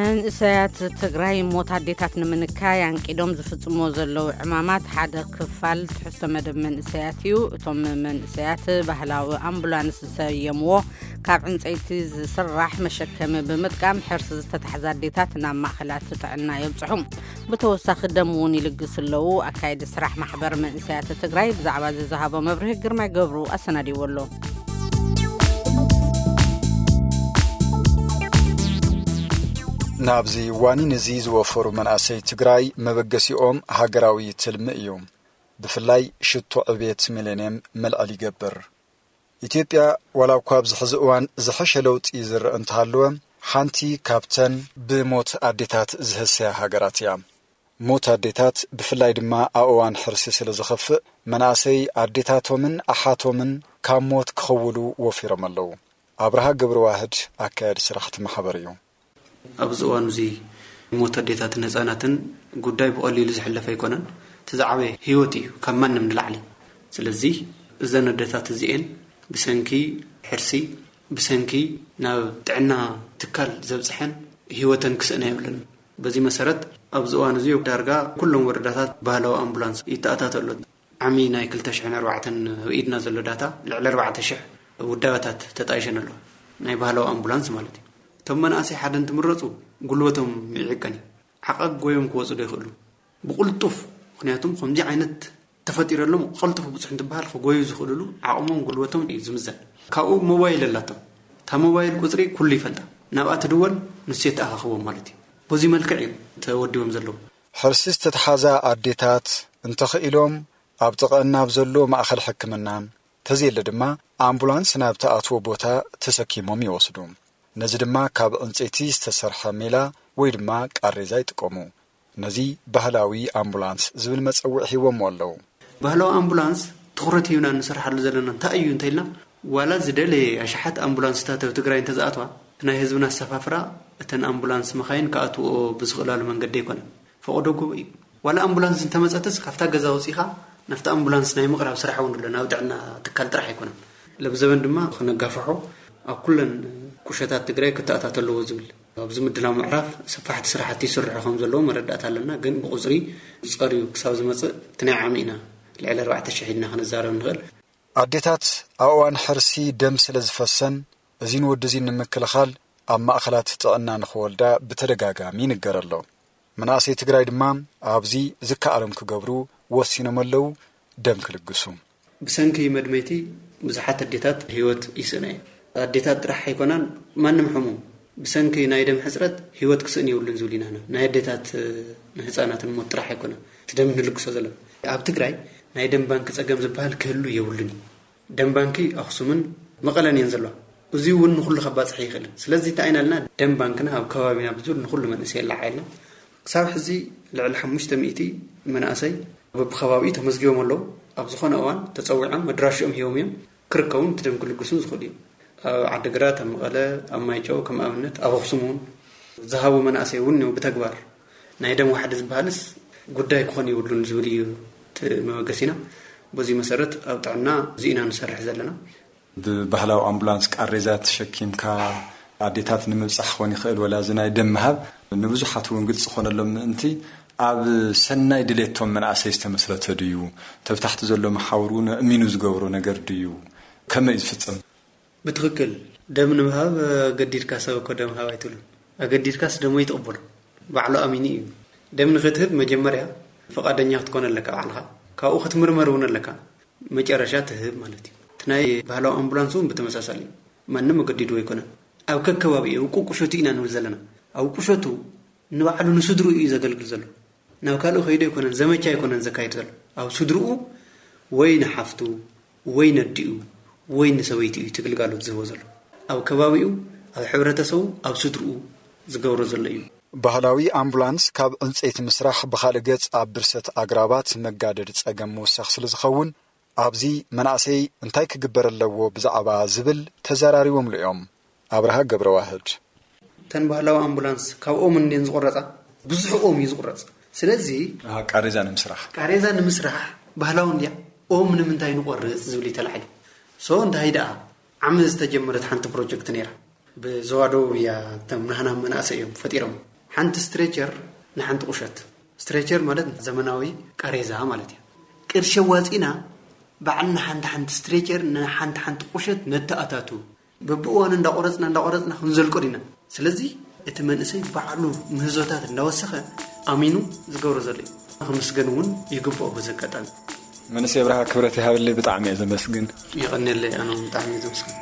መንእሰያት ትግራይ ሞት ኣዴታት ንምንካይ ኣንቂዶም ዝፍጽሞ ዘለዉ ዕማማት ሓደ ክፋል ትሕዝቶ መደብ መንእሰያት እዩ። እቶም መንእሰያት ባህላዊ ኣምቡላንስ ዝሰየምዎ ካብ ዕንፀይቲ ዝስራሕ መሸከሚ ብምጥቃም ሕርሲ ዝተታሕዛ ኣዴታት ናብ ማእኸላት ጥዕና የብፅሑ። ብተወሳኺ ደም እውን ይልግሱ ኣለዉ። ኣካየዲ ስራሕ ማሕበር መንእሰያት ትግራይ ብዛዕባ እዚ ዝሃቦ መብርሂ ግርማይ ገብሩ ኣሰናዲዎ ኣሎ። ናብዚ ዋኒን እዚ ዝወፈሩ መናእሰይ ትግራይ መበገሲኦም ሃገራዊ ትልሚ እዩ። ብፍላይ ሽቶ ዕቤት ሚሌንየም መልዕል ይገብር። ኢትዮጵያ ዋላ እኳ ኣብዚ ሕዚ እዋን ዝሐሸ ለውጢ ዝረአ እንተሃለወ፣ ሓንቲ ካብተን ብሞት ኣዴታት ዝህሰያ ሃገራት እያ። ሞት ኣዴታት ብፍላይ ድማ ኣብ እዋን ሕርሲ ስለ ዝኸፍእ፣ መናእሰይ ኣዴታቶምን ኣሓቶምን ካብ ሞት ክኸውሉ ወፊሮም ኣለዉ። ኣብርሃ ገብረዋህድ ኣካያዲ ስራሕቲ ማሕበር እዩ። ኣብዚ እዋን እዚ ሞት ኣዴታትን ህፃናትን ጉዳይ ብቐሊሉ ዝሕለፍ ኣይኮነን። እቲ ዝዓበየ ህይወት እዩ ካብ ማንም ንላዕሊ። ስለዚ እዘን ኣዴታት እዚኤን ብሰንኪ ሕርሲ፣ ብሰንኪ ናብ ጥዕና ትካል ዘብፅሐን ህይወተን ክስእና የብለን። በዚ መሰረት ኣብዚ እዋን እዚ ዳርጋ ኩሎም ወረዳታት ባህላዊ ኣምቡላንስ ይተኣታተሉ። ዓሚ ናይ ክልተ ሽሕን ኣርባዕተን ኣብ ኢድና ዘሎ ዳታ ልዕሊ ኣርባዕተ ሽሕ ውዳበታት ተጣይሸን ኣለዋ። ናይ ባህላዊ ኣምቡላንስ ማለት እዩ። እቶም መናእሰይ ሓደ እንትምረፁ ጉልበቶም ይዕቀን እዩ። ዓቐብ ጎዮም ክወፁ ዶ ይኽእሉ? ብቕልጡፍ፣ ምኽንያቱም ከምዚ ዓይነት ተፈጢረሎም ቀልጡፍ ብፁሕ እንትበሃል ክጎዩ ዝኽእሉሉ ዓቕሞም ጉልበቶም እዩ ዝምዘን። ካብኡ ሞባይል ኣላቶም። እታ ሞባይል ቁፅሪ ኩሉ ይፈልጣ። ናብኣ ትድወል፣ ንሱ የተኣኻኽቦም ማለት እዩ። በዚ መልክዕ እዩ ተወዲቦም ዘለዉ። ሕርሲ ዝተተሓዛ ኣዴታት እንተኽኢሎም ኣብ ጥቐን ናብ ዘሎ ማእኸል ሕክምና፣ ተዘየለ ድማ ኣምቡላንስ ናብ ተኣትዎ ቦታ ተሰኪሞም ይወስዱ። ነዚ ድማ ካብ ዕንፀይቲ ዝተሰርሐ ሜላ ወይ ድማ ቃሬዛ ይጥቀሙ። ነዚ ባህላዊ ኣምቡላንስ ዝብል መጸውዒ ሂቦሞ ኣለዉ። ባህላዊ ኣምቡላንስ ትኹረት ሂብና እንሰርሓሉ ዘለና እንታይ እዩ እንተኢልና፣ ዋላ ዝደለየ ኣሽሓት ኣምቡላንስታት ኣብ ትግራይ እንተዝኣትዋ፣ እቲ ናይ ህዝብና ኣሰፋፍራ እተን ኣምቡላንስ መኻይን ክኣትውኦ ብዝኽእላሉ መንገዲ ኣይኮነን። ፈቐዶ ጎቦ እዩ። ዋላ ኣምቡላንስ እንተመጸትስ ካብታ ገዛ ወጺኻ ናብቲ ኣምቡላንስ ናይ ምቕራብ ስራሕ እውን ኣሎ፣ ናብ ጥዕና ትካል ጥራሕ ኣይኮነን። ለብዘበን ድማ ክነጋፍሖ ኣብ ኩለን ቁሸታት ትግራይ ክተኣታተ ኣለዎ ዝብል ኣብዚ ምድላው ምዕራፍ ሰፋሕቲ ስራሕቲ ይስርሑ ከም ዘለዉ መረዳእታ ኣለና። ግን ብቁፅሪ ዝፀርዩ ክሳብ ዝመፅእ እቲ ናይ ዓሚ ኢና ልዕሊ ኣርባዕተ ሽሕ ኢልና ክንዛረብ ንኽእል። ኣዴታት ኣብ እዋን ሕርሲ ደም ስለ ዝፈሰን እዚን ወዲ እዚን ንምክልኻል ኣብ ማእኸላት ጥዕና ንኽወልዳ ብተደጋጋሚ ይንገር ኣሎ። መናእሰይ ትግራይ ድማ ኣብዚ ዝከኣሎም ክገብሩ ወሲኖም ኣለዉ፣ ደም ክልግሱ። ብሰንኪ መድመይቲ ብዙሓት ኣዴታት ህይወት ይስእና እየን። ኣዴታት ጥራሕ ኣይኮናን፣ ማንም ሕሙም ብሰንኪ ናይ ደም ሕፅረት ህይወት ክስእን የብሉን ዝብል ኢና። ናይ ኣዴታት ንህፃናትን ሞት ጥራሕ ኣይኮነን እቲ ደም ንልግሶ ዘለና። ኣብ ትግራይ ናይ ደም ባንክ ፀገም ዝበሃል ክህሉ የብሉን እዩ። ደም ባንኪ ኣኽሱምን መቐለን እየን ዘለዋ። እዚ እውን ንኹሉ ከባፅሕ ይኽእልን። ስለዚ እንታይ ኢና ኢልና ደም ባንክና ኣብ ከባቢና ብዙር ንኹሉ መንእሰይ የላዓ ኢልና። ክሳብ ሕዚ ልዕሊ ሓሙሽተ ሚእቲ መናእሰይ በብከባቢኡ ተመዝጊቦም ኣለዉ። ኣብ ዝኾነ እዋን ተፀዊዖም መድራሽኦም ሂቦም እዮም ክርከቡን እቲ ደም ክልግሱን ዝኽእሉ እዮም። ኣብ ዓዲግራት፣ ኣብ መቐለ፣ ኣብ ማይጨው ከም ኣብነት፣ ኣብ ኣኽሱም እውን ዝሃቡ መናእሰይ እውን እዮም ብተግባር። ናይ ደም ዋሕዲ ዝበሃልስ ጉዳይ ክኾን የብሉን ዝብል እዩ እቲ መበገሲና። በዚ መሰረት ኣብ ጥዕና እዚ ኢና ንሰርሕ ዘለና። ብባህላዊ ኣምቡላንስ ቃሬዛ ተሸኪምካ ኣዴታት ንምብጻሕ ክኾን ይኽእል፣ ወላ እዚ ናይ ደም ምሃብ ንብዙሓት እውን ግልፂ ክኾነሎም ምእንቲ ኣብ ሰናይ ድሌቶም መናእሰይ ዝተመስረተ ድዩ? ተብታሕቲ ዘሎ መሓውር እውን እሚኑ ዝገብሮ ነገር ድዩ? ከመይ እዩ ዝፍጸም? ብትኽክል ደም ንምሃብ ኣገዲድካ ሰብ እኮ ደም ሃብ ኣይትብሉን። ኣገዲድካስ ደሞ ይትቕበሎ። ባዕሉ ኣሚኑ እዩ። ደም ንኽትህብ መጀመርያ ፈቓደኛ ክትኮን ኣለካ ባዕልኻ። ካብኡ ክትምርመር እውን ኣለካ። መጨረሻ ትህብ ማለት እዩ። እቲ ናይ ባህላዊ ኣምቡላንስ እውን ብተመሳሳሊ እዩ። ማንም ኣገዲድዎ ኣይኮነን። ኣብ ከከባቢኡ፣ ኣብ ቁቁሸቱ ኢና ንብል ዘለና። ኣብ ቁሸቱ ንባዕሉ ንስድርኡ እዩ ዘገልግል ዘሎ። ናብ ካልእ ከይዱ ኣይኮነን፣ ዘመቻ ኣይኮነን ዘካይድ ዘሎ። ኣብ ስድርኡ ወይ ንሓፍቱ ወይ ነዲኡ ወይ ንሰበይቱ እዩ እቲ ግልጋሎት ዝህቦ ዘሎ። ኣብ ከባቢኡ፣ ኣብ ሕብረተሰቡ፣ ኣብ ስድርኡ ዝገብሮ ዘሎ እዩ። ባህላዊ ኣምቡላንስ ካብ ዕንፀይቲ ምስራሕ ብኻልእ ገፅ ኣብ ብርሰት ኣግራባት መጋደዲ ፀገም ምውሳኽ ስለ ዝኸውን ኣብዚ መናእሰይ እንታይ ክግበር ኣለዎ ብዛዕባ ዝብል ተዘራሪቦምሉ እዮም። ኣብርሃ ገብረዋህድ። እተን ባህላዊ ኣምቡላንስ ካብ ኦም እንድየን ዝቑረፃ፣ ብዙሕ ኦም እዩ ዝቑረፅ። ስለዚ ኣሃ፣ ቃሬዛ ንምስራሕ። ቃሬዛ ንምስራሕ ባህላዊ እንድያ ኦም ንምንታይ ንቆርፅ ዝብል እዩ ተላዒሉ። ሶ እንታይ ደኣ ዓሚ ዝተጀመረት ሓንቲ ፕሮጀክት ነይራ። ብዞባ ደቡብ እያ እቶም ናህና መናእሰይ እዮም ፈጢሮም። ሓንቲ ስትሬቸር ንሓንቲ ቁሸት፣ ስትሬቸር ማለት ዘመናዊ ቃሬዛ ማለት እዩ። ቅርሺ ኣዋፂና ባዕልና ሓንቲ ሓንቲ ስትሬቸር ንሓንቲ ሓንቲ ቁሸት ነተኣታቱ፣ በብእዋኑ እንዳቆረፅና እንዳቆረፅና ክንዘልቆ ዲና። ስለዚ እቲ መንእሰይ ባዕሉ ምህዞታት እንዳወሰኸ ኣሚኑ ዝገብሮ ዘሎ እዩ። ክምስገን እውን ይግብኦ። በዚ ኣጋጣሚ መንእሰይ ብርሃ፣ ክብረት ይሃብለይ፣ ብጣዕሚ እየ ዘመስግን። የቐንየለይ። ኣነ እውን ብጣዕሚ እየ ዘመስግን።